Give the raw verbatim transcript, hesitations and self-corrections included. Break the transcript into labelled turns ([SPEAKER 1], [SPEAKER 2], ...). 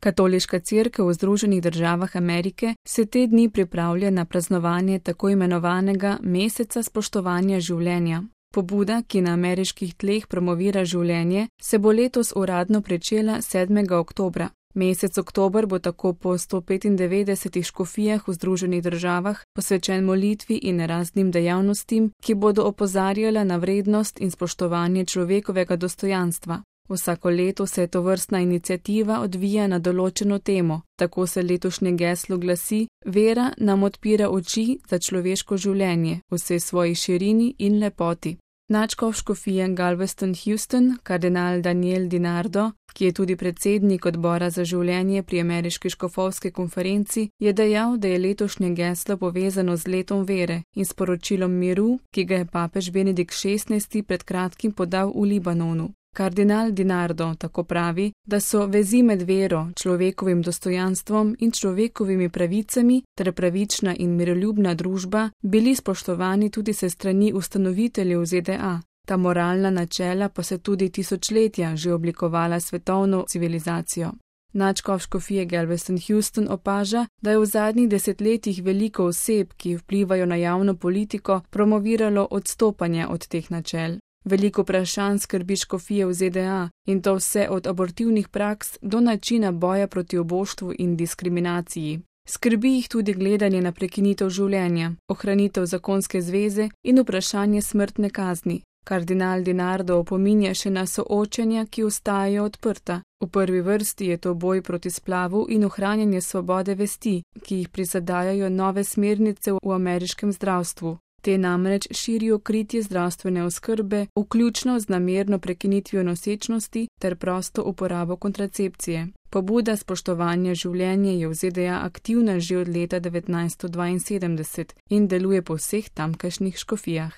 [SPEAKER 1] Katoliška cerkev v Združenih državah Amerike se te dni pripravlja na praznovanje tako imenovanega meseca spoštovanja življenja. Pobuda, ki na ameriških tleh promovira življenje, se bo letos uradno pričela sedmega oktobra. Mesec oktober bo tako po sto petindevetdesetih škofijah v Združenih državah posvečen molitvi in raznim dejavnostim, ki bodo opozarjala na vrednost in spoštovanje človekovega dostojanstva. Vsako leto se tovrstna iniciativa odvija na določeno temo, tako se letošnje geslo glasi: Vera nam odpira oči za človeško življenje, vse svoji širini in lepoti. Nadškof škofije Galveston Houston, kardinal Daniel DiNardo, ki je tudi predsednik odbora za življenje pri ameriški škofovski konferenci, je dejal, da je letošnje geslo povezano z letom vere in sporočilom miru, ki ga je papež Benedikt šestnajsti pred kratkim podal v Libanonu. Kardinal DiNardo tako pravi, da so vezi med vero, človekovim dostojanstvom in človekovimi pravicami ter pravična in miroljubna družba bili spoštovani tudi se strani ustanoviteljev Z D A. Ta moralna načela pa so tudi tisočletja že oblikovala svetovno civilizacijo. Nadškof škofije Galveston Houston opaža, da je v zadnjih desetletjih veliko oseb, ki vplivajo na javno politiko, promoviralo odstopanje od teh načel. Veliko vprašanj skrbi škofije v Z D A in to vse od abortivnih praks do načina boja proti oboštvu in diskriminaciji. Skrbi jih tudi gledanje na prekinitev življenja, ohranitev zakonske zveze in vprašanje smrtne kazni. Kardinal DiNardo opominja še na soočenja, ki ostajajo odprta. V prvi vrsti je to boj proti splavu in ohranjanje svobode vesti, ki jih prizadajajo nove smernice v ameriškem zdravstvu. Te namreč širijo kritje zdravstvene oskrbe, vključno z namerno prekinitvijo nosečnosti ter prosto uporabo kontracepcije. Pobuda spoštovanja življenja je v Z D A aktivna že od leta devetnajststo dvainsedemdeset in deluje po vseh tamkajšnjih škofijah.